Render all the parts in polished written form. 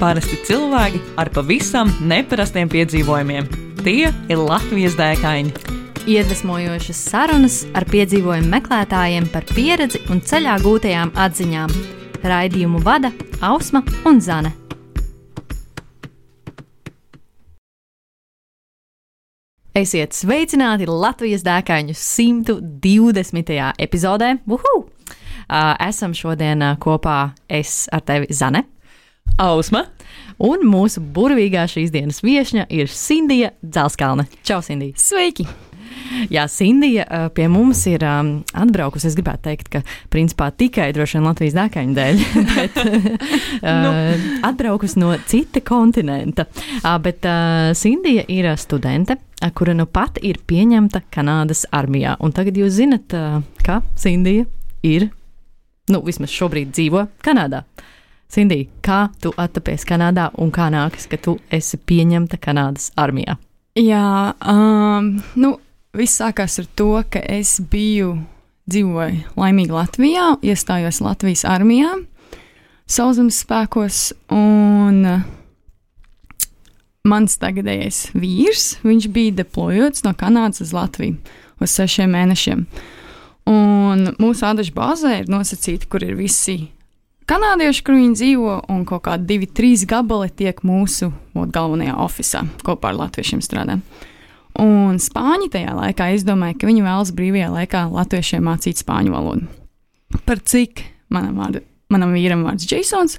Parasti cilvēki ar pavisam neparastiem piedzīvojumiem. Tie ir Latvijas dēkaini. Iedvesmojošas sarunas ar piedzīvojumu meklētājiem par pieredzi un ceļā gūtajām atziņām. Raidījumu vada Ausma un Zane. Esiet sveicināti Latvijas dēkaņu 120. epizodē. Uhu! Esam šodien kopā es ar tevi, Zane. Ausma. Un mūsu burvīgā šīs dienas viešņa ir Sindija Dzelskalne. Čau, Sindija! Sveiki! Jā, Sindija pie mums ir atbraukusi. Es gribētu teikt, ka principā tikai droši vien Latvijas dēkaņu dēļ, bet atbraukusi no cita kontinenta. Bet Sindija ir studente, kura nu pat ir pieņemta Kanādas armijā. Un tagad jūs zinat, ka Sindija ir, vismaz šobrīd dzīvo Kanādā. Sindija, kā tu attapies Kanādā un kā nākas, ka tu esi pieņemta Kanādas armijā? Jā, viss sākās ar to, ka es dzīvoju laimīgi Latvijā, iestājos Latvijas armijā, sauszemes spēkos, un mans tagadējais vīrs, viņš bija deplojots no Kanādas uz Latviju uz 6 mēnešiem. Un mūsu ādažu bāzē ir nosacīti, kur ir visi kanādieši, kur viņi dzīvo, un kaut kādi 2-3 gabali tiek mūsu galvenajā ofisā kopā ar latviešiem strādā. Un spāņi tajā laikā, es domāju, ka viņi vēlas brīvajā laikā latviešiem mācīt spāņu valodu. Par cik manam vīram vārds Jasons,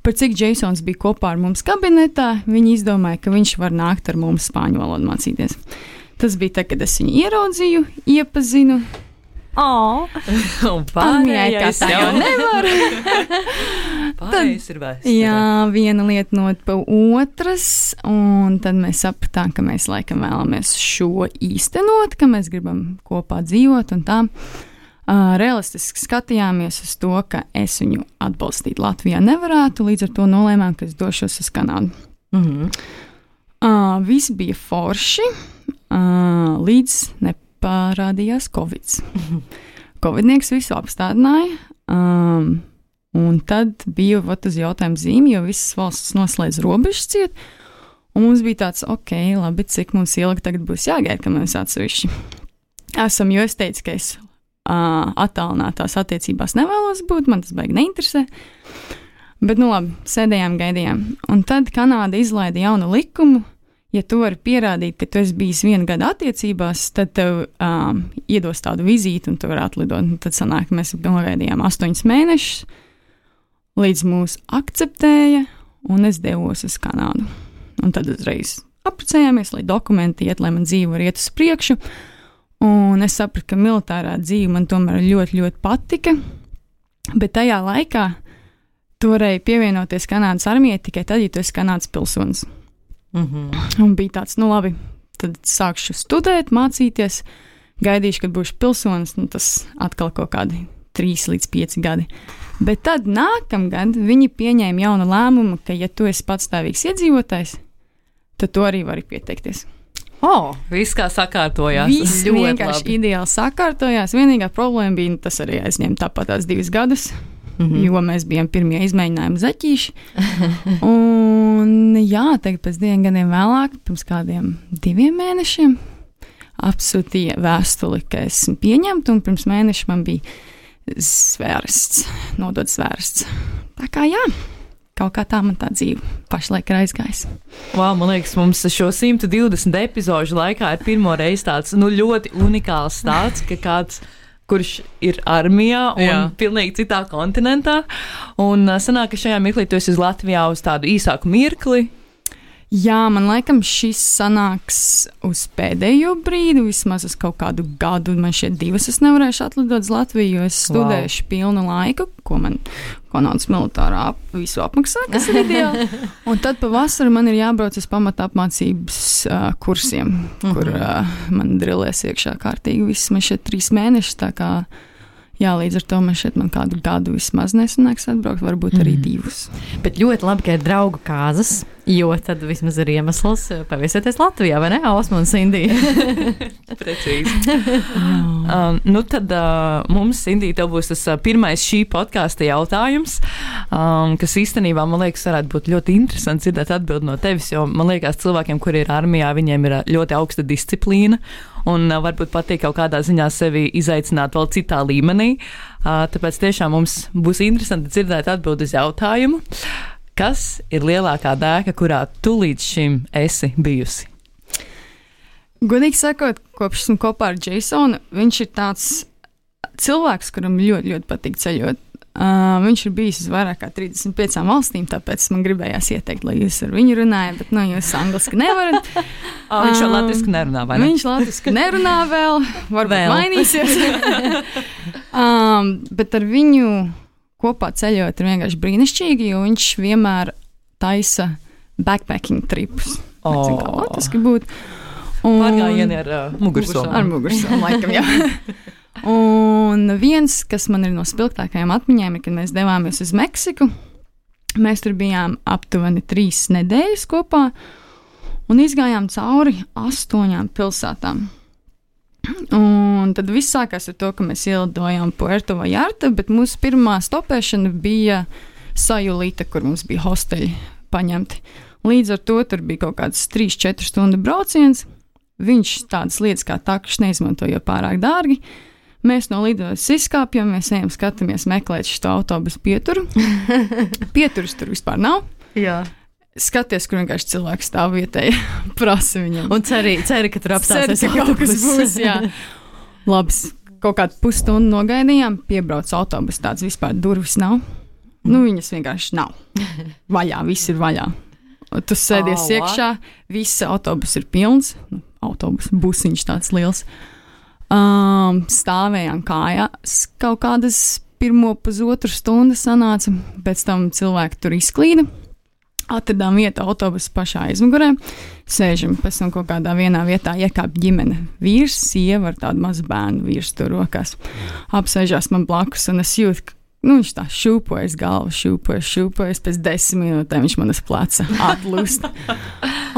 par cik Jasons bija kopā ar mums kabinetā, viņi izdomāja, ka viņš var nākt ar mums spāņu valodu mācīties. Tas bija tad, kad es viņu ieraudzīju, iepazinu. Un pārējais jau nevar. Pārējais ir vēsture. Jā, viena lieta not pa otras, un tad mēs sapratām, ka mēs laikam vēlamies šo īstenot, ka mēs gribam kopā dzīvot un tā. Realistiski skatījāmies uz to, ka es viņu atbalstīt Latvijā nevarētu, līdz ar to nolēmām, ka es došos uz Kanādu. Viss bija forši, līdz parādījās Covid. Covidnieks visu apstādināja, un tad bija uz jautājumu zīmi, jo visas valsts noslēdz robežas ciet, un mums bija tāds, labi, cik mums ilgi tagad būs jāgaida, ka mēs atsevišķi esam, jo es teicu, ka es attālinātās attiecībās nevēlos būt, man tas baigi neinteresē, bet labi, sēdējām, gaidījām, un tad Kanāda izlaida jaunu likumu. Ja tu vari pierādīt, ka tu esi bijis 1 gada attiecībās, tad tev iedos tādu vizīti un tu vari atlidot. Tad sanāk, mēs nogaidījām 8 mēnešus, līdz mūs akceptēja, un es devos uz Kanādu. Un tad uzreiz apprecējāmies, lai dokumenti iet, lai man dzīve var iet uz priekšu. Un es sapratu, ka militārā dzīve man tomēr ļoti, ļoti patika, bet tajā laikā tu varēji pievienoties Kanādas armijai tikai tad, ja tu esi Kanādas pilsonis. Un bija tāds, labi, tad sākšu studēt, mācīties, gaidīšu, kad būšu pilsonis, tas atkal kaut kādi 3 līdz 5 gadi. Bet tad nākamgad viņi pieņēma jaunu lēmumu, ka ja tu esi patstāvīgs iedzīvotājs, tad tu arī vari pieteikties. Viss kā sakārtojās. Viss vienkārši ideāli sakārtojās. Vienīgā problēma bija, tas arī aizņēma tāpat tās 2 gadus. Jo mēs bijām pirmie izmēģinājumi zaķīši. Un jā, tagad pēc 2 gadiem vēlāk, pirms kādiem 2 mēnešiem, apsūtīja vēstuli, ka esmu pieņemta, un pirms mēneša man bija nodots zvērsts. Tā kā jā, kaut kā tā man tā dzīve pašlaik ir aizgājusi. Man liekas, mums šo 120 epizožu laikā ir pirmo reizi tāds ļoti unikāls stāsts, ka kāds kurš ir armijā un pilnīgi citā kontinentā. Un sanāk, ka šajā mirklī tu esi uz Latvijā uz tādu īsāku mirkli. Jā, man laikam šis sanāks uz pēdējo brīdi, vismaz uz kaut kādu gadu. Man šeit 2 es nevarēšu atlidot uz Latviju, jo es studēšu pilnu laiku, ko man Kanādas militārā visu apmaksā, kas ir ideāli. Un tad pavasarī man ir jābrauc uz pamata apmācības kursiem, kur man drillēs iekšā kārtīgi. Viss man šeit 3 mēnešus, tā kā līdz ar to man kādu gadu vismaz nesanāks atbraukt, varbūt arī 2. Bet ļoti labi, ka ir draugu kāzas. Jo tad vismaz ir iemesls paviesieties Latvijā, vai ne? Osma un Sindija. Precīzi. Nu tad mums, Sindija, tev būs tas pirmais šī podkāsta jautājums, kas īstenībā, man liekas, varētu būt ļoti interesants dzirdēt atbildi no tevis, jo man liekas, cilvēkiem, kuri ir armijā, viņiem ir ļoti augsta disciplīna un varbūt patīk kaut kādā ziņā sevi izaicināt vēl citā līmenī. Tāpēc tiešām mums būs interesanti dzirdēt atbildi uz jautājumu. Kas ir lielākā dēka, kurā tu līdz šim esi bijusi? Godīgi sakot, kopš esmu kopā ar Jasonu, viņš ir tāds cilvēks, kuram ļoti, ļoti patīk ceļot. Viņš ir bijis uz vairāk kā 35 valstīm, tāpēc man gribējās ieteikt, lai jūs ar viņu runājat, bet jūs angliski nevarat. Viņš jau latviski nerunā, vai ne? Viņš latviski nerunā vēl, varbūt mainīsies. Bet ar viņu kopā ceļot ir vienkārši brīnišķīgi, jo viņš vienmēr taisa backpacking tripus. Nezinu, kā latviski būtu. Pārgājieni ar mugursomu. Ar mugursomu, laikam, jā. Un viens, kas man ir no spilgtākajām atmiņām, ir, kad mēs devāmies uz Meksiku. Mēs tur bijām aptuveni 3 nedēļas kopā un izgājām cauri 8 pilsētām. Un tad viss sākās ar to, ka mēs ielidojām Puerto Vallarta, bet mūsu pirmā stopēšana bija Sayulita, kur mums bija hosteļi paņemti. Līdz ar to tur bija kaut kāds 3-4 stundu brauciens. Viņš tādas lietas kā takšs neizmanto, jo pārāk dārgi. Mēs no lidojas izkāpjam, mēs ejam, skatāmies, meklēt šo autobusu pieturu. Pieturas tur vispār nav. Jā. Skaties, kur vienkārši cilvēks stāv vietēji, prasa viņam. Un ceri, ka tur apstāsies kaut kas būs, jā. Labs, kaut kādu pusstundu nogaidījām, piebrauc autobus, tāds vispār durvis nav. Nu, viņas vienkārši nav. Vaļā, viss ir vaļā. Tu sēdies iekšā, viss autobus ir pilns. Autobus, busiņš tāds liels. Stāvējām kājās kaut kādas 1,5 stundu sanāca, pēc tam cilvēki tur izklīda. Atradām vietu autobusu pašā aizmugurē, sēžam, pēc tam kaut kādā vienā vietā iekāp ģimene. Vīrs, sieva ar tādu mazu bērnu vīrs tur rokās. Apsēžās man blakus un es jūtu, viņš tā šūpojas galvu, šūpojas, pēc 10 minūtēm viņš man uz pleca atlūst.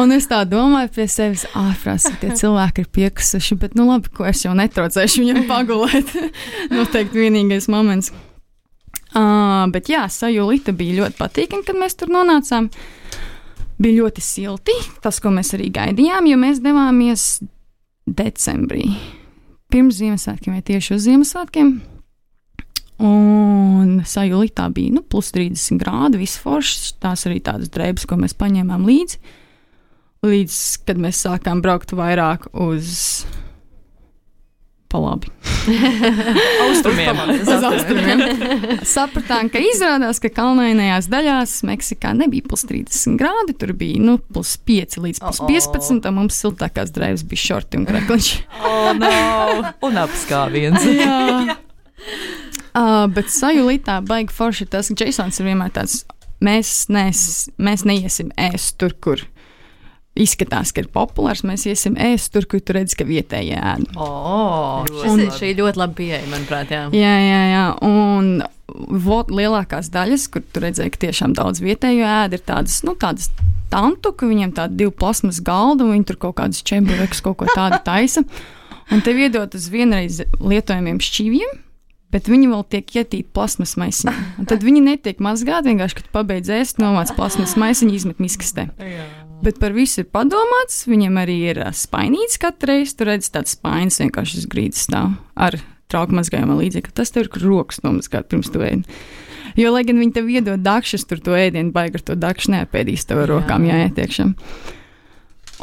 Un es tā domāju pie sevis, ārprāts, tie cilvēki ir piekusuši, bet labi, ko es jau netraucēšu viņam pagulēt. Noteikti vienīgais moments. Bet jā, Sayulita bija ļoti patīkami, kad mēs tur nonācām. Bija ļoti silti, tas, ko mēs arī gaidījām, jo mēs devāmies decembrī. Pirms Ziemassvētkiem vai tieši uz Ziemassvētkiem. Un Sayulitā bija plus 30 grādi, viss foršs, tās arī tādas drēbes, ko mēs paņēmām līdzi. Līdz, kad mēs sākām braukt vairāk uz palabi. Austrumiem. Uz austrumiem. Sapratām, ka izrādās, ka kalnainajās daļās Meksikā nebija plus 30 grādi, tur bija plus 5 līdz plus 15, un mums siltākās drēbes bija šorti un krekliņš. No. Un apskāviens. Jā. Bet Sayulitā baigi forši ir tas, ka Jasons ir vienmēr tāds, mēs neiesim ēst tur, kur izskatās, ka ir populārs, mēs iesim ēst tur, kur tu redzi, ka vietēji ēd. Šī ļoti labi pieeja, manuprāt, jā. Jā. Un lielākās daļas, kur tu redzēji, ka tiešām daudz vietēju ēd, ir tādas tantu, ka viņiem tādi 2 plasmas galda, un viņi tur kaut kādus čemburekus, kaut ko tādu taisa. Un tev iedot uz vienreiz lietojamiem šķīviem, bet viņi vēl tiek ietīti plasmas maisiņā. Un tad viņi netiek mazgāti, vienkārši, kad pabeidz ēst, novāc plasmas maisiņu, izmet miskastē. Bet par visu ir padomāts, viņam arī ir spainīts katru reizi, tu redzi tāds spainis vienkārši uz grīdas stāv ar trauku mazgājumā līdzekļu. Tas tev ir rokas nomazgāt pirms tu ēdi. Jo, lai gan viņi tev iedod dakšas, tur to ēdienu baigi ar to dakšu neapēdīs tev ar rokām jāiet iekšā.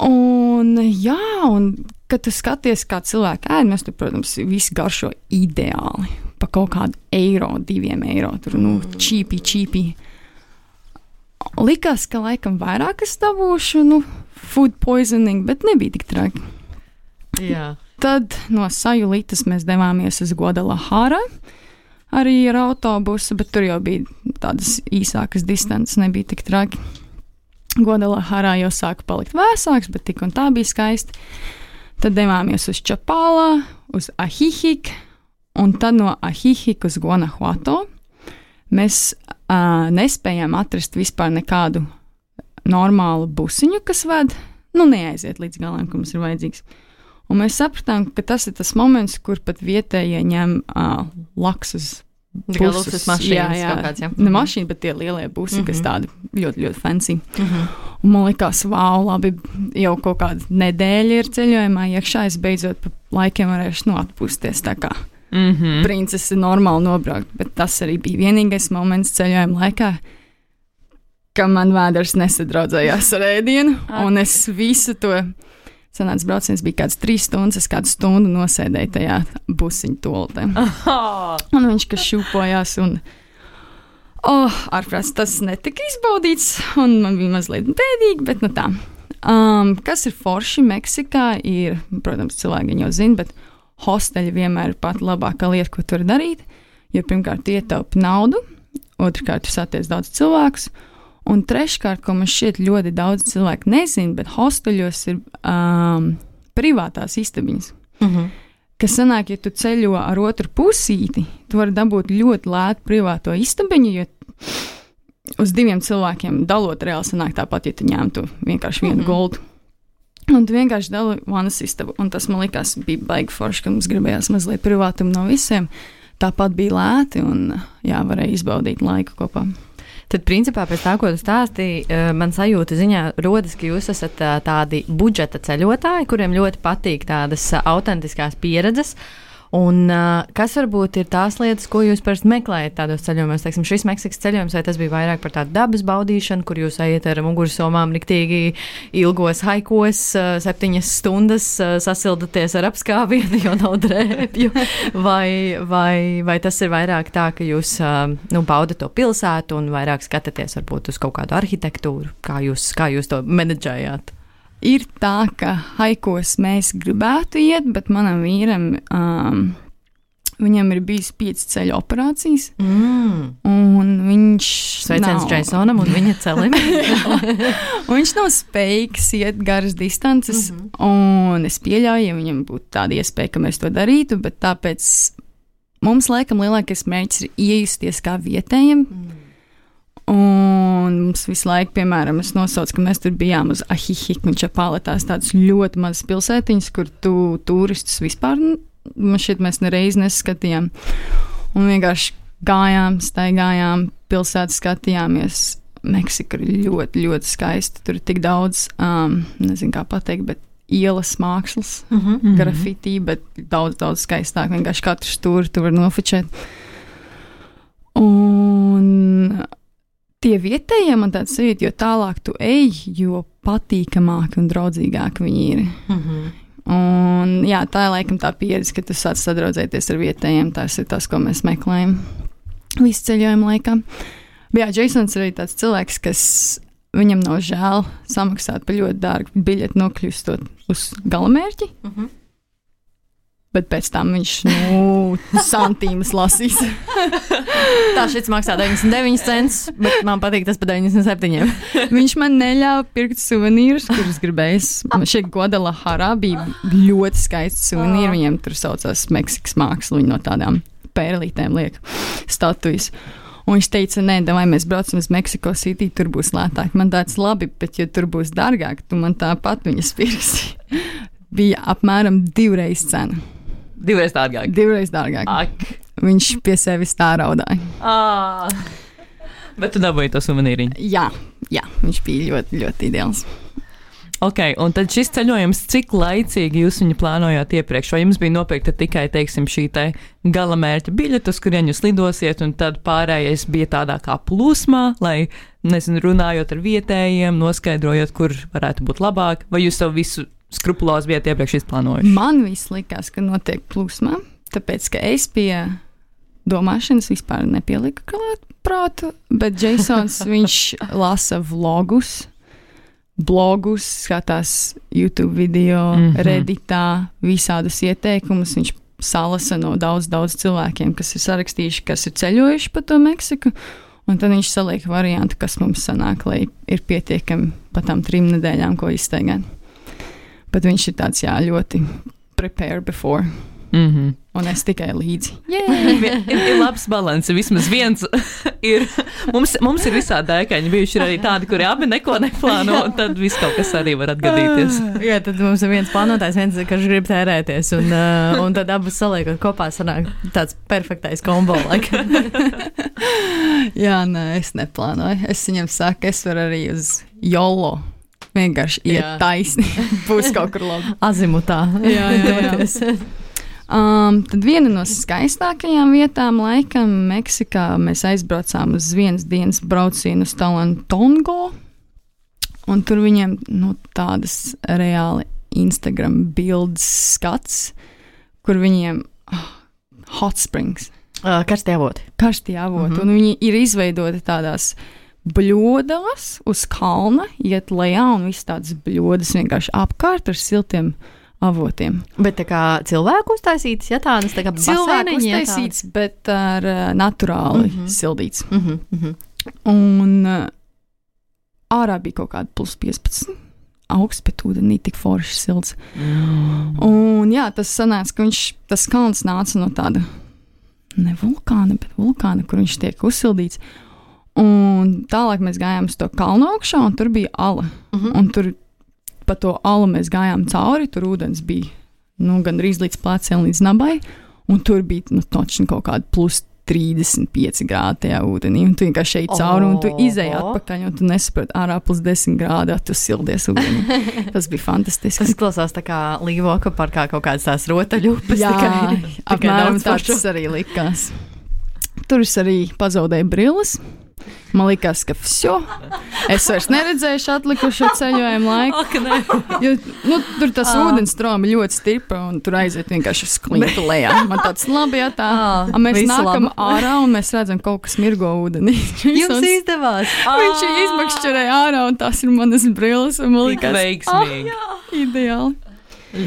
Un kad tu skaties, kā cilvēki ēd, mēs tur, protams, visi garšo ideāli. Pa kaut kādu eiro, 2 eiro, tur, čīpi. Likās, ka laikam vairāk es dabūšu, food poisoning, bet nebija tik traki. Jā. Tad no Sayulitas mēs devāmies uz Guadalajara, arī ar autobusu, bet tur jau bija tādas īsākas distances, nebija tik traki. Guadalajarā jau sāka palikt vēsāks, bet tik un tā bija skaisti. Tad devāmies uz Čapālā, uz Ahihik, un tad no Ahihik uz Guanajuato. Mēs nespējām atrast vispār nekādu normālu busiņu, kas ved, neaiziet līdz galam, ka mums ir vajadzīgs. Un mēs sapratām, ka tas ir tas moments, kur pat vietējie ņem laksus busus mašīnas. Jā. Kāds, jā. Ne mašīna, bet tie lielie busi, kas tādi ļoti, ļoti fancy. Un man likās, labi, jau kaut kāda nedēļa ir ceļojumā iekšā, es beidzot pa laikiem varēšu atpūsties tā kā princese normāli nobraukt. Bet tas arī bija vienīgais moments ceļojuma laikā, ka man vēders nesadraudzējās ar ēdienu, un es visu to sanāca brauciens bija kāds 3 stundas, es kādu stundu nosēdēju tajā busiņu toaletē. Un viņš, kas šūpojās, un ārprāts tas netika izbaudīts, un man bija mazliet bēdīgi, bet tā. Kas ir forši Meksikā, ir, protams, cilvēki jau zina, bet hosteļi vienmēr ir pat labākā lieta, ko tu vari darīt, jo pirmkārt ietaupi naudu, otrkārt tu satiec daudz cilvēkus, un treškārt, ko man šķiet ļoti daudz cilvēku nezina, bet hosteļos ir privātās istabiņas. Kas sanāk, ja tu ceļo ar otru pusīti, tu vari dabūt ļoti lētu privāto istabiņu, jo uz 2 cilvēkiem dalot reāli sanāk tāpat, ja tu ņemtu vienkārši vienu goldu. Un tu vienkārši dali vanas istabu, un tas man likās bija baigi forši, ka mums gribējās mazliet privātumu no visiem. Tāpat bija lēti, un varēja izbaudīt laiku kopā. Tad, principā, pēc tā, ko tu stāstīji, man sajūta ziņā rodas, ka jūs esat tādi budžeta ceļotāji, kuriem ļoti patīk tādas autentiskās pieredzes. Un kas varbūt ir tās lietas, ko jūs parasti meklējat tādos ceļojumos? Teiksim, šis Meksikas ceļojums, vai tas bija vairāk par tādu dabas baudīšanu, kur jūs ejat ar mugursomām riktīgi ilgos haikos, 7 stundas sasildaties ar apskāvienu, jo nav drēbju? Vai tas ir vairāk tā, ka jūs baudat to pilsētu un vairāk skatāties varbūt uz kaut kādu arhitektūru? Kā jūs to menedžējāt? Ir tā, ka haikos mēs gribētu iet, bet manam vīram, viņam ir bijis 5 ceļu operācijas, un viņš Sveiciens Jasonam un viņa celim. Un viņš nav spējīgs iet garas distances, un es pieļauju, ja viņam būtu tāda iespēja, ka mēs to darītu, bet tāpēc mums laikam lielākais mērķis ir iejusties kā vietējiem. Un mums visu laiku, piemēram, es nosaucu, ka mēs tur bijām uz Ahihikņačapaletās, tādas ļoti mazas pilsētiņas, kur turistus vispār, man šķiet, mēs nereiz neskatījām. Un vienkārši gājām, staigājām, pilsētas skatījāmies. Meksika ir ļoti, ļoti skaista. Tur ir tik daudz, nezinu kā pateikt, bet ielas mākslas, grafitī, bet daudz, daudz skaistāk. Vienkārši katru stūri tu var nofočēt. Un tie vietējie man tāds sajūta, jo tālāk tu ej, jo patīkamāki un draudzīgāki viņi ir. Un tā ir laikam tā pieredze, ka tu sāc sadraudzēties ar vietējiem, tas ir tas, ko mēs meklējam visu ceļojumu laikā. Bet Jasons ir arī tāds cilvēks, kas viņam nav žēl samaksāt par ļoti dārgu biļeti nokļūstot uz galamērķi. Bet pēc tam viņš santīmas lasīs. Tā šis maksā 99 cents, bet man patīk tas par 97. Viņš man neļāva pirkt suvenīrus, kurus gribējis. Šeit Guadalajarā bija ļoti skaisti suvenīri. Viņiem tur saucās Meksikas māksla, viņi no tādām pērlītēm liek statujas. Un viņš teica, nē, vai mēs braucam uz Meksiko City, tur būs lētāk. Man tāds labi, bet ja tur būs dārgāk, tu man tāpat viņas pirksi. Bija apmēram 2 reizes cena. 2 reizes dārgāk. 2 reizes dārgāk. Ak. Viņš pie sevis tā raudāja. Bet tu dabūji to suvenīriņu? Jā, viņš bija ļoti, ļoti ideāls. Ok, un tad šis ceļojums, cik laicīgi jūs viņu plānojāt iepriekš? Vai jums bija nopirkta tikai, teiksim, šī te galamērķa biļete, uz kurien jūs lidosiet, un tad pārējais bija tādā kā plūsmā, lai, nezinu, runājot ar vietējiem, noskaidrojot, kur varētu būt labāk, vai jūs savu visu skrupulozi bijat iepriekš izplānojuši? Man viss likās, ka notiek plūsmā, tāpēc, ka es pie domāšanas vispār nepieliku klāt prātu, bet Jasons, viņš lasa blogus, skatās YouTube video, Redditā, visādus ieteikumus. Viņš salasa no daudz cilvēkiem, kas ir sarakstījuši, kas ir ceļojuši pa to Meksiku, un tad viņš saliek variantu, kas mums sanāk, lai ir pietiekami pa tām 3 nedēļām, ko izstaigāt. Bet viņš ir tāds, ļoti prepare before. Un es tikai līdzi. Ir labs balans. Vismaz viens ir. Mums ir visādi dēkaņi bijuši arī tādi, kuri abi neko neplāno, un tad viss kaut kas arī var atgadīties. Jā, tad mums ir viens plānotājs, viens, kas grib tērēties, un tad abas saliekot kopā sanāk tāds perfektais kombo. Jā, nē, es neplānoju. Es viņam saku, es varu arī uz YOLO. Vienkārši iet taisni. Būs kaut kur labi. Azimutā. Jā. Tad viena no skaistākajām vietām laikam Meksikā mēs aizbraucām uz vienas dienas braucienu uz Talantongo, un tur viņiem tādas reāli Instagram bildes skats, kur viņiem hot springs. Karstie avoti. Un viņi ir izveidoti tādās bļodās uz kalna, iet lejā, un viss tādas bļodas vienkārši apkārt ar siltiem avotiem. Bet tā kā cilvēku uztaisītas, ja tādas tā kā cilvēku uztaisītas, bet ar naturāli sildīts. Un ārā bija kaut kāda plus 15 augsts, bet ūdenī tik forši silts. Un jā, tas sanāca, ka tas kalns nāca no tāda ne vulkāna, bet vulkāna, kur viņš tiek uzsildīts. Un tālāk mēs gājām uz to kalnu augšā, un tur bija ala. Un tur pa to alu mēs gājām cauri, tur ūdens bija gandrīz līdz pleciem, līdz nabai, un tur bija točni kaut kāda plus 35 grādi tajā ūdenī, un tu vienkārši šeit cauri, un tu izēji atpakaļ, un tu nesaproti ārā plus 10 grādi, tu sildies ūdenī. Tas bija fantastiski. Tas klausās tā kā Līvoka parkā kaut kādas tās rotaļupas. Jā, apmēram tāds arī likās. Tur es arī pazaudēju brilles. Man likās, ka es vairs neredzēju atlikušo ceļojumu laiku. Jo, tur tas ūdens stroma ļoti stipra, un tur aiziet vienkārši uz klintu lejā. Man tāds labi, ja tā. Mēs nākam ārā, un mēs redzam kaut kas mirgo ūdenī. Jums izdevās. Viņš izmakšķerēja ārā, un tās ir manas brilles. Man likās, veiksmīgi. Ideāli.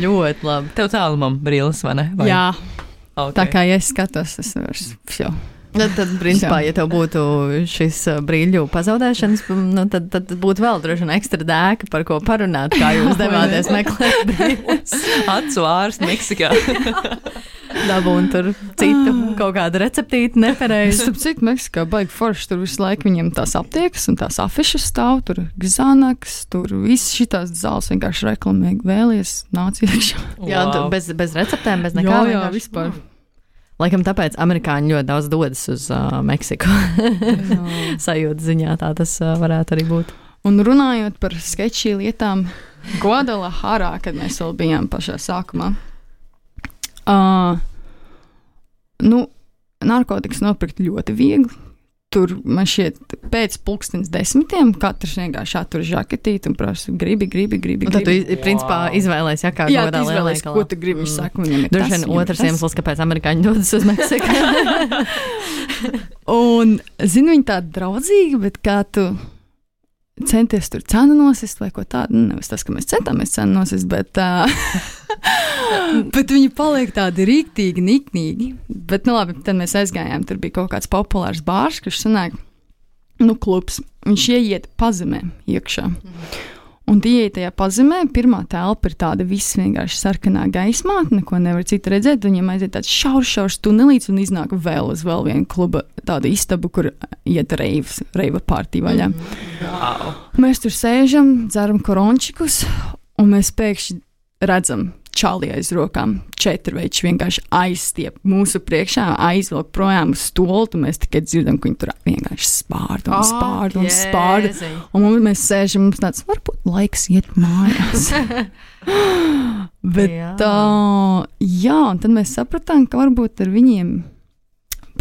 Ļoti labi. Tev tālumam brilles, vai ne? Vai? Jā. Okay. Tā kā ja es skatos, es vairs Tad, principā, ja tev būtu šis brīļu pazaudēšanas, tad būtu vēl droši vien ekstra dēka, par ko parunāt, kā jūs devāties meklēt brīļus. Acu ārsts Meksikā. Dabūn tur citu kaut kādu receptīti nepareizi. Starp citu, Meksikā baigi forši, tur visu laiku viņiem tās aptiekas un tās afišas stāv, tur Xanax, tur viss šitās zāles vienkārši reklamīgi vēlies, nāc iekšā. Jā, bez receptēm, bez nekā. Jā, vispār. Laikam tāpēc amerikāņi ļoti daudz dodas uz Meksiku. Sajūta ziņā tā tas varētu arī būt. Un runājot par sketčī lietām, Guadalajarā, kad mēs vēl bijām pašā sākumā, narkotikas nopirkt ļoti viegli. Tur man šķiet pēc 10:00 katrs vienkārši attur žaketīti un prasa gribi. Un tad tu, principā, izvēlējies, kā godā lielveikalā. Ko tu gribi, viņš saka, viņam ir droši vien otrs iemesls, kāpēc amerikāņi dodas uz Meksiku. Un, zinu, viņi tādi draudzīgi, bet kā tu centies tur cenu nosist vai ko tādu, nevis tas, ka mēs centāmies cenu nosist, bet viņi paliek tādi rīktīgi, niknīgi. Bet, labi, tad mēs aizgājām, tur bija kaut kāds populārs bārs, kurš sanāk, klubs. Viņš ieiet pazemē iekšā. Un ieeja tajā pazemē, pirmā telpa ir tāda viss vienkārši sarkanā gaismā, neko nevar citu redzēt, viņam aiziet tāds šaurs tunelīts un iznāk vēl uz vēl vienu kluba tādu istabu, kur iet reiva partija vaļā. Wow. Mēs tur sēžam, dzeram korončikus, un mēs pēkšņi redzam čali aiz rokām, 4 veči vienkārši aizstiep mūsu priekšā, aizvelk projām uz stolu, un mēs tikai dzirdam, ka viņi tur vienkārši spārda. Un mēs sēžam, mums tāds, varbūt laiks iet mājās. Bet jā, un tad mēs sapratām, ka varbūt ar viņiem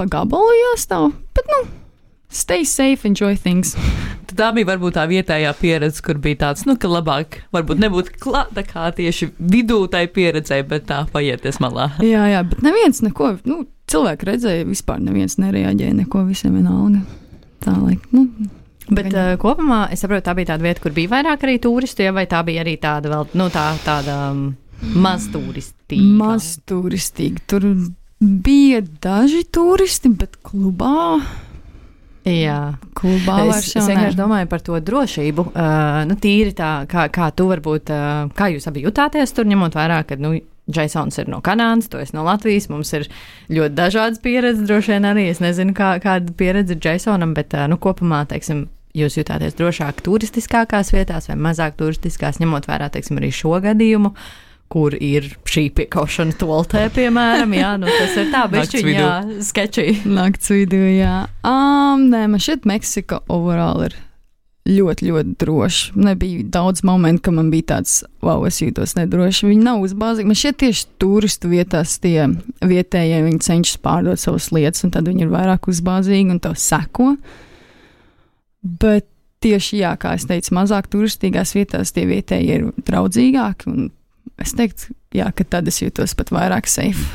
pa gabalu jāstāv, bet stay safe, enjoy things. Tā bija varbūt tā vietējā pieredze, kur bija tāds, ka labāk varbūt nebūtu klāta kā tieši vidū tai pieredzē, bet tā paieties malā. Jā, bet neviens neko, cilvēki redzēja, vispār neviens nereaģēja, neko, visiem vienalga. Tā laik, Bet kopumā, es saprotu, tā bija tāda vieta, kur bija vairāk arī turistu, vai tā bija arī tāda vēl, tāda mazturistīga? Mazturistīga. Tur bija daži turisti, bet klubā... Jā, klubā es vienkārši domāju par to drošību. Tīri tā, kā tu varbūt, kā jūs abi jutāties tur, ņemot vērā, ka, Jasons ir no Kanādas, tu esi no Latvijas, mums ir ļoti dažādas pieredzes, droši vien arī, es nezinu, kāda pieredze ir Jasonam, bet, kopumā, teiksim, jūs jutāties drošāk turistiskākās vietās vai mazāk turistiskās, ņemot vērā, teiksim, arī šo gadījumu, kur ir šī piekaušana toltē, piemēram, jā, tas ir tā, bišķiņ, jā, sketčī. Nakts vidū, jā. Nē, man šeit Meksika overall ir ļoti, ļoti droši. Nebija daudz momentu, ka man bija tāds, wow, es jūtos nedroši. Viņi nav uzbāzīgi. Man šeit tieši turistu vietās tie vietējie, viņi cenšas pārdot savas lietas, un tad viņi ir vairāk uzbāzīgi un tev seko. Bet tieši, jā, kā es teicu, mazāk turistīgās vietās tie vietējie ir draudzīgāki, un es teiktu, jā, ka tad es jūtos pat vairāk safe.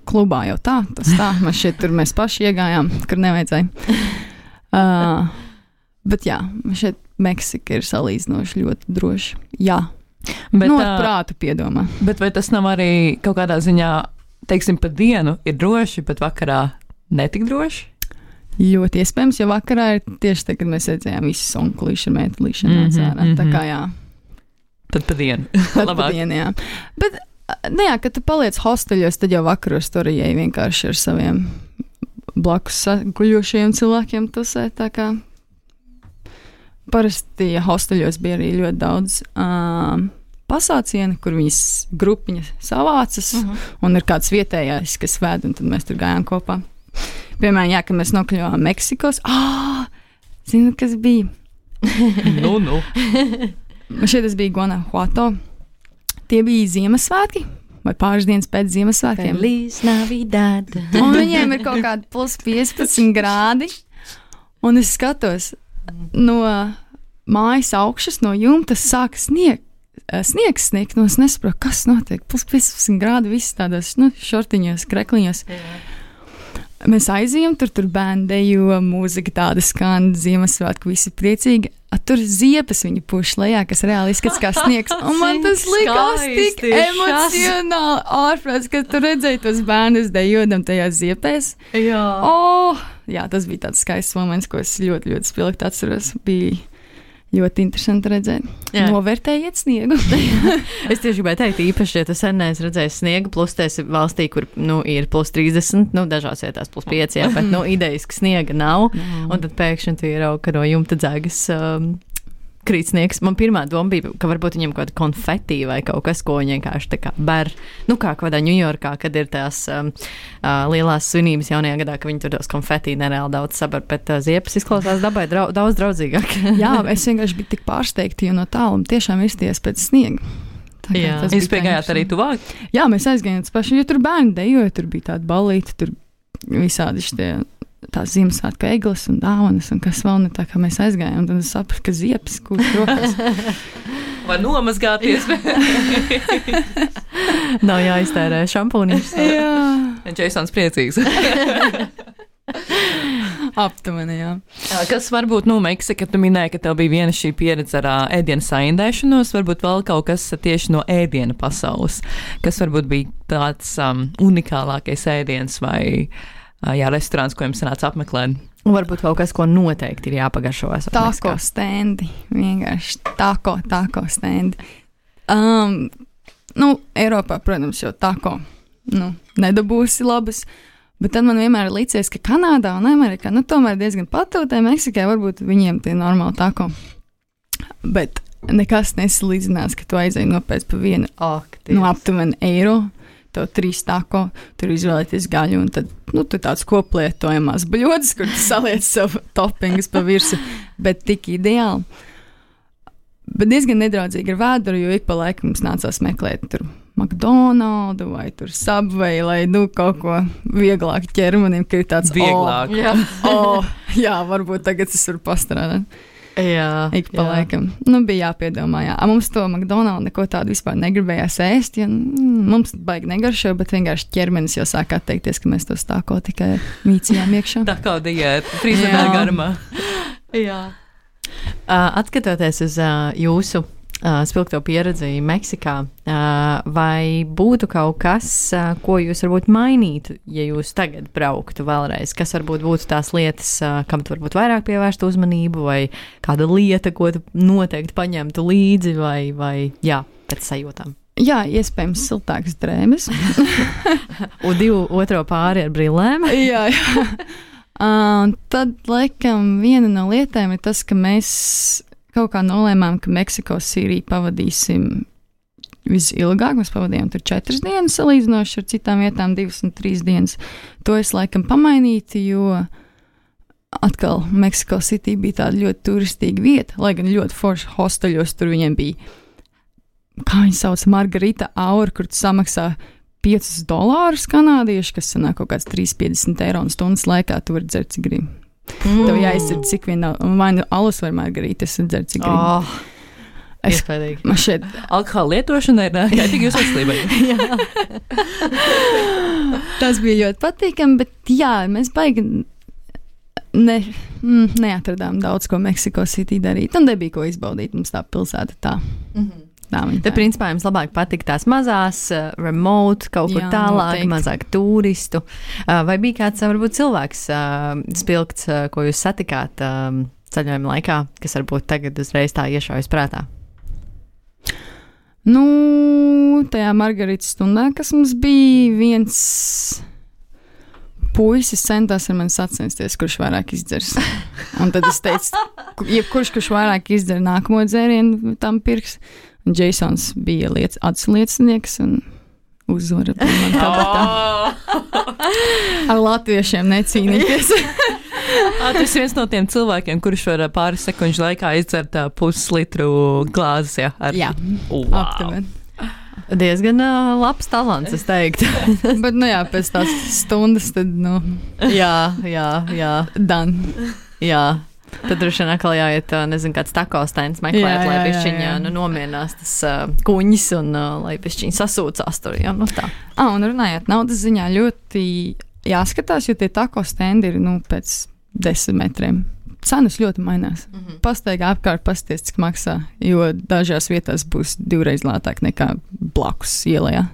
Klubā jau tas tā. Man šeit tur mēs paši iegājām, kur nevajadzēja. Bet jā, šeit Meksika ir salīdzinoši ļoti droši. Jā, bet ar prātu piedomā. Bet vai tas nav arī kaut kādā ziņā, teiksim, pa dienu ir droši, bet vakarā netik droši? Ļoti iespējams, jo vakarā ir tieši tā, kad mēs redzējām visas onkulīši ar mētelīšanu atsārā. Tā kā jā. Tad pa dienu. Tad pa dienu, jā. Bet, jā, kad tu paliec hosteļos, tad jau vakaros tur ieej vienkārši ar saviem blakus guļošajiem cilvēkiem tusē, tā kā parasti hosteļos bija arī ļoti daudz pasācieni, kur viņas grupiņas savācas, un ir kāds vietējais, kas vēd, un tad mēs tur gājām kopā. Piemēram, jā, kad mēs nokļuvām Meksikos. Zinu, kas bija? Nu. Šeit tas bija Guanajuato. Tie bija Ziemassvētki, vai pāris dienas pēc Ziemassvētkiem. Feliz Navidad. Un viņiem ir kaut kādi plus 15 grādi, un es skatos, no mājas augšas, no jumta sāka sniegs sniegt, no es nesaprotu, kas notiek. Plus 15 grādi, viss tādos, šortiņos, krekliņos. Jā. Mēs aizījām, tur bērni dejo, mūzika tāda skan, Ziemassvētku, visi priecīgi. Tur ziepes viņa puš lejā, kas reāli izskatās kā sniegs. Un man tas likās tik emocionāli ārprāts, kad tu redzēji tos bērnus dejodam tajās ziepēs. Jā. Jā, tas bija tāds skaists moments, ko es ļoti, ļoti spilgti atceros. Bija ļoti interesanti redzēt. Jā. Novērtējiet sniegu. Es tieši gribēju teikt, īpaši, ja tu sen neesi redzējis sniegu, plus tu esi valstī, kur ir plus 30, dažās vietās plus 5, jā, bet idejiski sniega nav. Un tad pēkšņi tu ieraugi, ka no jumta dzegas krīt sniegs. Man pirmā doma bija, ka varbūt viņam kaut kāda konfeti vai kaut kas, ko viņi vienkārši tā kā ber. Kā kādā Ņujorkā, kad ir tās lielās svinības jaunajā gadā, ka viņi tur tos konfeti nereāli daudz sabar, bet ziepes izklausās dabai daudz draudzīgāk. Jā, es vienkārši biju tik pārsteigta, jo no tāluma tiešām izties pēc sniega. Jūs piegājāt arī tuvāk? Jā, mēs aizgājām paši, jo tur bērni dejoja, tur bija tāda balīta, tur visādi šitie tās Ziemassvētku egles un dāvanas un kas vēl ne, tā kā mēs aizgājām, tad es sapratu, ka ziepes kūst rokas. Var nomazgāties. Nav jāiztērē šampūniņš. Jā. Jasons priecīgs. Aptuveni, jā. Kas varbūt, Meksika, tu minēji, ka tev bija viena šī pieredze ar ēdienu saindēšanos, varbūt vēl kaut kas tieši no ēdiena pasaules, kas varbūt bija tāds unikālākais ēdiens vai restorāns, ko jums sanāca apmeklēt. Un varbūt kaut kas, ko noteikti ir jāpagaršo. Tako stendi, vienkārši tako stendi. Eiropā, protams, jau tako nedabūsi labas, bet tad man vienmēr ir licies, ka Kanādā un Amerikā, tomēr diezgan patūtē, Meksikai varbūt viņiem tie normāli tako. Bet nekas nesalīdzinās, ka tu aizēji nopēc pa vienu aptuveni eiro. Tev 3 tako, tur izvēlēties gaļu, un tad, tu tāds koplietojamās bļodas, kur tu saliec savu toppingus pa virsu, bet tik ideāli. Bet diezgan nedraudzīgi ar vēduru, jo ik pa laikam mums nācās meklēt tur McDonaldu vai tur Subway, lai, kaut ko vieglāk ķermenim, ka ir tāds vieglāk. Jā, varbūt tagad es varu pastrādāt. Jā, ik pa laikam. Bija jāpiedomā, jā. Mums to McDonaldu neko tādu vispār negribējās ēst, jo mums baigi negaršo, bet vienkārši ķermenis jau sāk atteikties, ka mēs to stāko tikai mīcījām iekšā. Tā kā diēta, 3 nedēļu garumā. Jā. Atskatoties uz jūsu spilgto pieredzi Meksikā, vai būtu kaut kas, ko jūs varbūt mainītu, ja jūs tagad brauktu vēlreiz? Kas varbūt būtu tās lietas, kam tu varbūt vairāk pievērstu uzmanību, vai kāda lieta, ko tu noteikti paņemtu līdzi, vai pēc sajūtām? Jā, iespējams, siltākas drēbes. Un otro pāri ar brillēm. jā. Tad, laikam, viena no lietām ir tas, ka mēs kaut kā nolēmām, ka Meksiko Sīriju pavadīsim visilgāk. Mēs pavadījām tur 4 dienas, salīdzinoši ar citām vietām 2 un 3 dienas. To es laikam pamainītu, jo atkal Meksiko City bija tāda ļoti turistīga vieta, lai gan ļoti forši hosteļos tur viņiem bija, kā viņi sauc, Margarita Aura, kur tu samaksā $5 kanādieši, kas sanāk kaut kāds 3,50 eiro un stundas laikā tu vari dzert, cik gribi. Tev jāizdzer, cik vien vai nu alus vai margarītas dzert, cik gribi. Iespējīgi. Man šeit alkohola lietošana ir kaitīga jūsu veselībai. Tas bija ļoti patīkami, bet jā, mēs baigi neatradām daudz ko Meksiko City darīt. Un nebija ko izbaudīt, mums tā pilsēta tā. Te principā jums labāk patika tās mazās, remote, kaut kur tālāk, mazāk turistu. Vai bija kāds, varbūt cilvēks spilgts, ko jūs satikāt ceļojuma laikā, kas varbūt tagad uzreiz tā iešaujas prātā? Nu, tajā Margaritas stundā, kas mums bija, viens puisis centās ar mani sacensties, kurš vairāk izdzers. Un tad es teicu, kurš vairāk izdzer nākamo dzērienu, tam pirks. Un Jasons bija atsliecinieks un uzvara man kabatā. Ar latviešiem necīnīties. Tas ir viens no tiem cilvēkiem, kurš var pāris sekundžu laikā izdzert puslitru glāzes. Jā, aptuveni. Diezgan labs talants, es teiktu. Bet, nu jā, pēc tās stundas, tad, nu. Jā. Dan. Jā. Tad droši vien atkal jāiet, nezinu, kāds tako stends meklēt, lai pišķiņa nomierinās tas kuņas un lai pišķiņa sasūcās tur, jā, nu tā. Un runājot naudas ziņā, ļoti jāskatās, jo tie tako stendi ir, pēc 10 metriem. Cenas ļoti mainās. Pastaigā apkārt pasties, cik maksā, jo dažās vietās būs 2 reizes lētāk nekā blakus ielā.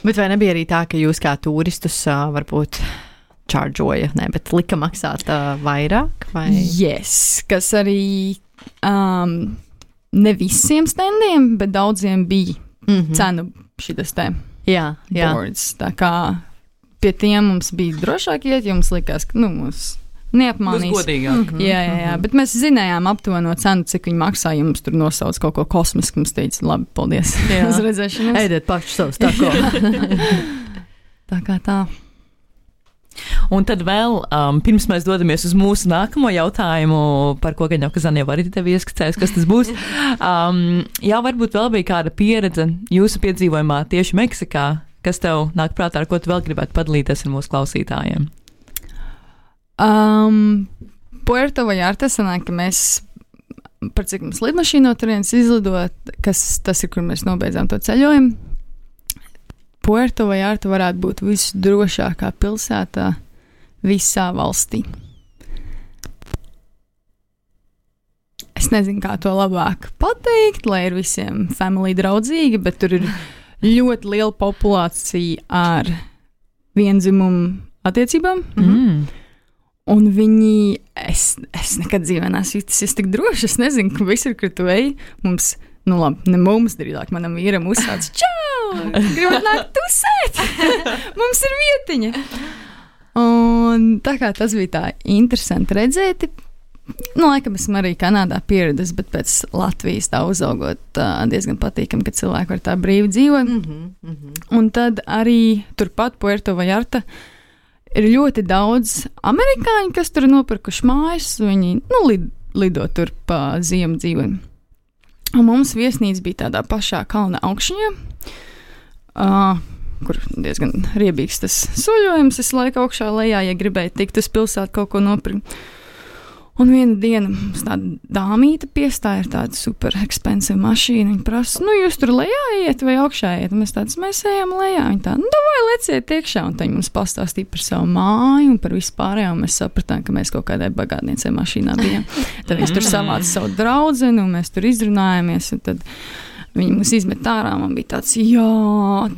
Bet vai nebija arī tā, ka jūs kā turistus varbūt čārdžoja, bet lika maksāt vairāk? Vai? Yes, kas arī ne visiem standiem, bet daudziem bija cenu šitas te boards. Tā kā pie tiem mums bija drošāk iet, jo mums likās, ka mums neapmānīs. Būs godīgāk. Jā, bet mēs zinājām aptuveno cenu, cik viņi maksā, ja mums tur nosauc kaut ko kosmisku, mums teica, labi, paldies. Uz redzēšanos. Eidiet paši savus tako. Tā kā tā. Un tad vēl, pirms mēs dodamies uz mūsu nākamo jautājumu, par ko gan jau Kazan jau arī tevi ieskicējis, kas tas būs. Varbūt vēl bija kāda pieredze jūsu piedzīvojumā tieši Meksikā, kas tev nāk prātā, ar ko tu vēl gribētu padalīties ar mūsu klausītājiem? Puerto Vallarta sanāk, ka mēs, par cik mums lidmašīna no turienes izlidot, tas ir, kur mēs nobeidzām to ceļojumu. Puerto Vallarta varētu būt visdrošākā pilsētā visā valstī. Es nezinu, kā to labāk pateikt, lai ir visiem family draudzīga, bet tur ir ļoti liela populācija ar viendzimumu attiecībām. Un viņi, es nekad dzīvē neesmu juties tik droši, es nezinu, ka visur, kur tu ej, mums, ne mums, drīzāk manam vīram uzsāc, čau! Gribat nākt tusēt! Mums ir vietiņa! Un tā kā tas bija tā interesanti redzēt, laikam esmu arī Kanādā pieredzējis, bet pēc Latvijas tā uzaugot diezgan patīkami, ka cilvēki var tā brīvi dzīvot. Un tad arī turpat Puerto Vallarta ir ļoti daudz amerikāņu, kas tur nopirkuši mājas, viņi lido tur pa ziemu dzīvojumu. Un mums viesnīca bija tādā pašā kalna augšņā, kur diezgan riebīgs tas soļojums, es laiku augšā lejā, ja gribēju tikt uz pilsētu kaut ko nopirkt. Un viena diena mums tāda dāmīta piestāja ar tādu super expensive mašīnu. Viņa prasa, jūs tur lejā iet vai augšā iet? Un mēs ejam lejā. Viņa tā, vai leciet iekšā. Un viņi mums pastāstīja par savu māju un par vispārējo. Un mēs sapratām, ka mēs kaut kādai bagātniecei mašīnā bijām. Tad viņi tur savāca savu draudzeni un mēs tur izrunājāmies. Un tad viņi mūs izmet ārā. Man bija tāds,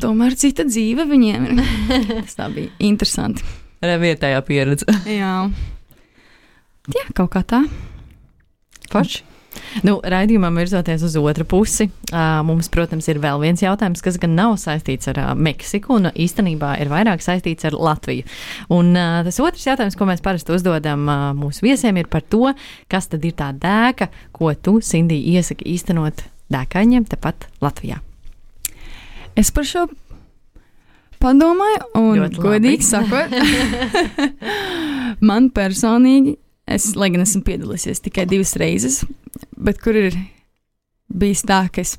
tomēr cita dzīve viņiem ir. Tas tā bija interesanti. Vietējā pieredze. Jā, kaut kā tā. Forši. Raidījumam virzoties uz otru pusi, mums, protams, ir vēl viens jautājums, kas gan nav saistīts ar Meksiku, un īstenībā ir vairāk saistīts ar Latviju. Un tas otrs jautājums, ko mēs parasti uzdodam mūsu viesiem, ir par to, kas tad ir tā dēka, ko tu, Sindija, iesaki īstenot dēkaņiem tepat Latvijā. Es par šo padomāju, un godīgi sakot, man personīgi, lai gan esmu piedalīsies tikai 2 reizes, bet kur ir bijis tā, ka es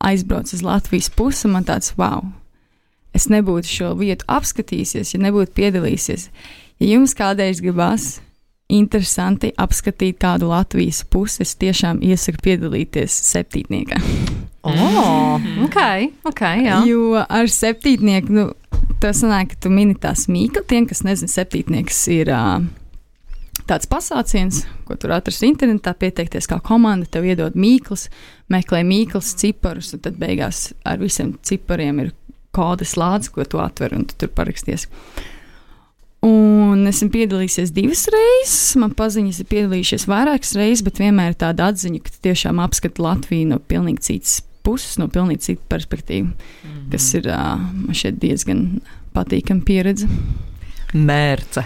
aizbraucu uz Latvijas pusi, man tāds, wow, es nebūtu šo vietu apskatījusies, ja nebūtu piedalīsies. Ja jums kādreiz gribās interesanti apskatīt kādu Latvijas pusi, es tiešām iesaku piedalīties septītniekā. Ok, jā. Jo ar septītnieku, tas sanāk, ka tu mini tās mīkli, tiem, kas nezina, septītnieks ir tāds pasāciens, ko tur atrast internetā, pieteikties kā komanda, tev iedod mīklas, meklē mīklas, ciparus, un tad beigās ar visiem cipariem ir kodas lādes, ko tu atver, un tu tur paraksties. Un esmu piedalījusies 2 reizes, man paziņas ir piedalījušies vairākas reizes, bet vienmēr ir tāda atziņa, ka tiešām apskata Latviju no pilnīgi citas puses, no pilnīgi citas perspektīvas, kas ir man šeit diezgan patīkama pieredze. Mērce.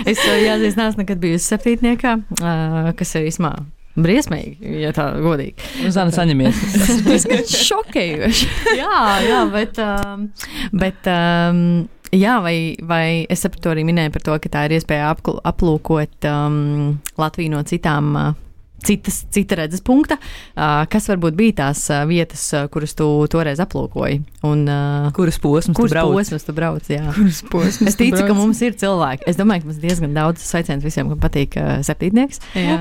es jāatzīst, neesmu nekad bijusi septītniekā, kas ir īsmā briesmīgi, ja tā godīgi. Zana, saņemies. Tas ir šokējoši. jā, bet jā, vai es sapratu arī minēju par to, ka tā ir iespēja aplūkot Latviju no cita redzes punkta, kas varbūt bija tās vietas, kuras tu toreiz aplūkoji. Un, kuras posmas tu brauc, jā. Kuras posmas es ticu, ka mums ir cilvēki. Es domāju, ka mums diezgan daudz sveiciens visiem, kam patīk septītnieks. Jā.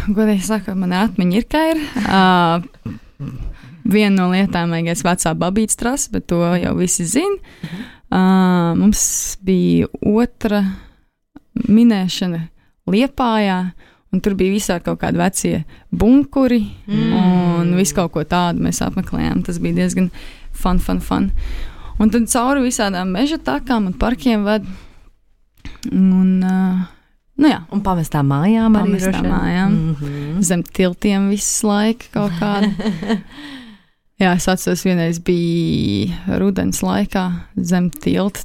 Godīgi sakot, man atmiņa ir, ka ir. Viena no lietām vajagais vecā babītas trasa, bet to jau visi zina. Mums bija otra minēšana Liepājā, un tur bija visā kaut kādi vecie bunkuri, un visu kaut ko tādu mēs apmeklējām. Tas bija diezgan fun. Un tad cauri visādām meža takām un parkiem ved. Un, jā. Un pamestām mājām arī. Pamestām mājām. Zem tiltiem visu laiku kaut kādu. Jā, es atceros, vienreiz bija rudens laikā zem tilta.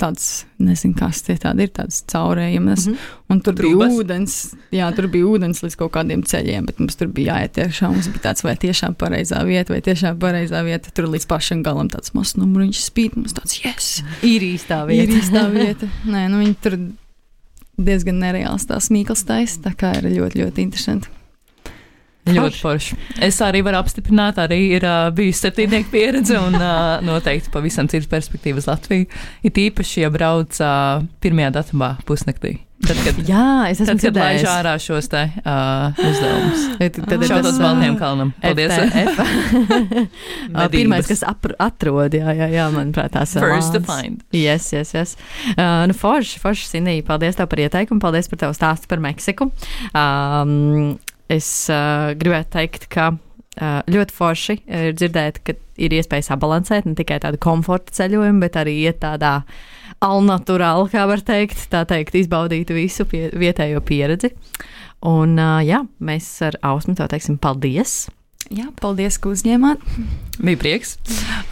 Tāds, nezinu, kas tie tādi ir, tāds caurējumas, un tur bija ūdens, tur bija ūdens līdz kaut kādiem ceļiem, bet mums tur bija jāiet iekšā, mums bija tāds, vai tiešām pareizā vieta, tur līdz pašam galam tāds mazs numuriņš spīd, mums tāds, yes! Ir īstā vieta. Nē, viņi tur diezgan nereāls tās mīklas taisa, tā kā ir ļoti, ļoti interesanti. Ļoti forši. Es arī varu apstiprināt, arī ir bijusi septītnieku pieredze un noteikti pavisam citas perspektīvas Latviju. Ir īpaši, ja brauc pirmajā datumā pusnaktī. Tad, kad laiž ārā šos te uzdevumus. Tad šautos Baltiem kalnam. Paldies. Pirmais, kas atrod, jā, manuprāt, tās First to find. Yes. Forši, Sindija, paldies tev par ieteikumu, paldies par tevu stāstu par Meksiku. Es gribētu teikt, ka ļoti forši ir dzirdēt, ka ir iespēja sabalansēt ne tikai tādu komforta ceļojumu, bet arī iet tādā alnaturāli, kā var teikt, izbaudīt visu vietējo pieredzi. Un mēs ar Ausmu tev teiksim paldies. Jā, paldies, ka uzņēmāt. Bija prieks.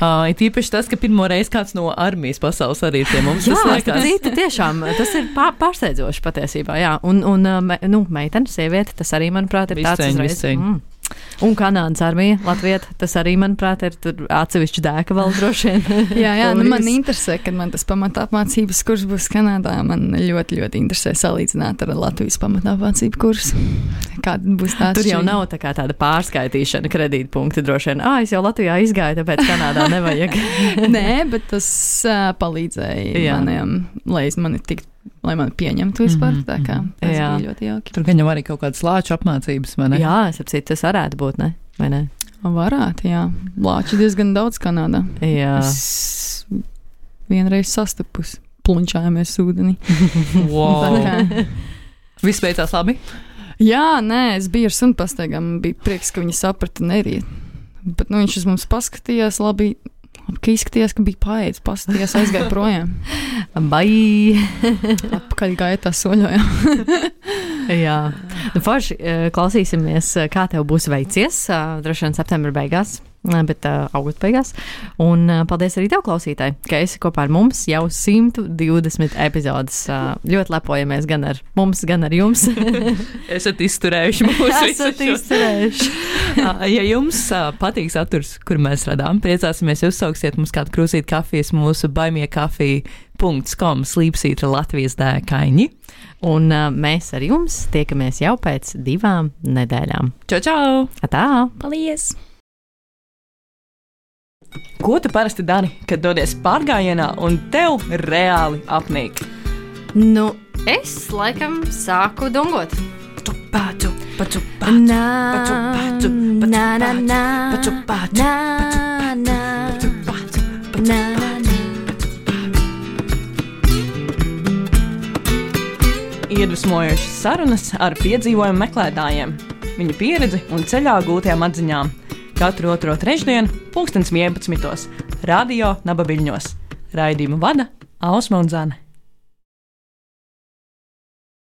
Ir īpaši tas, ka pirmo reizi kāds no armijas pasaules arī ir pie mums. Tiešām, tas ir pārsteidzoši patiesībā, jā. Un meitene, sieviete, tas arī, manuprāt, ir tāds uzreiz. Un Kanādas armija, Latvija, tas arī, manuprāt, ir tur atsevišķi dēka vēl droši vien. jā, man interesē, kad man tas pamatāpmācības kurs būs Kanādā. Man ļoti, ļoti interesē salīdzināt ar Latvijas pamatāpmācību kursu. Kāda būs tā? Tur jau nav tāda pārskaitīšana kredītpunkti droši vien. Es jau Latvijā izgāju, tāpēc Kanādā nevajag. Nē, bet tas palīdzēja maniem, lai mani pieņemtu vispār, tā kā tas bija ļoti jauki. Tur gan jau arī kaut kādas lāču apmācības, vai ne? Jā, es apcīt, tas varētu būt, ne? Vai ne? Varētu, jā. Lāči diezgan daudz Kanādā. Jā. Es vienreiz sastapusi, plunčājāmies ūdenī. Wow. Viss beidzās labi? Jā, nē, es biju ar sunpastaigām, bija prieks, ka viņi saprata un neriet. Bet viņš uz mums paskatījās, labi Ka izskatījās, ka bija paēdis, pasties, aizgāja projām. Bai! Apakaļ gāja tā soļojām. Jā. Nu, forši klausīsimies, kā tev būs veicies, droši vien septembra beigās, bet augusta beigās. Un paldies arī tev, klausītāji, ka esi kopā ar mums jau 120 epizodes. Ļoti lepojamies gan ar mums, gan ar jums. Esat izturējuši mūsu visu. Esat izturējuši. Ja jums patīk saturs, kur mēs radām, priecāsimies, ja uzsauksiet mums kādu krūzīt kafijas mūsu baimiekafija.com slīpsītra Latvijas dēkaini. Un mēs ar jums tiekamies jau pēc 2 nedēļām. Čau! Atā! Paldies! Ko tu parasti dari, kad dodies pārgājienā un tev reāli apnīk? Nu, es laikam sāku dungot. Paču, paču, Na, paču, paču, paču, na, na, na, paču, paču, na, na, paču, na, na, na. Iedvesmojošas sarunas ar piedzīvojumu meklētājiem, viņu pieredzi un ceļā gūtajām atziņām. Katru otro trešdienu, 11:00, Radio Nabaviļņos. Raidījumu vada Ausma un Zane.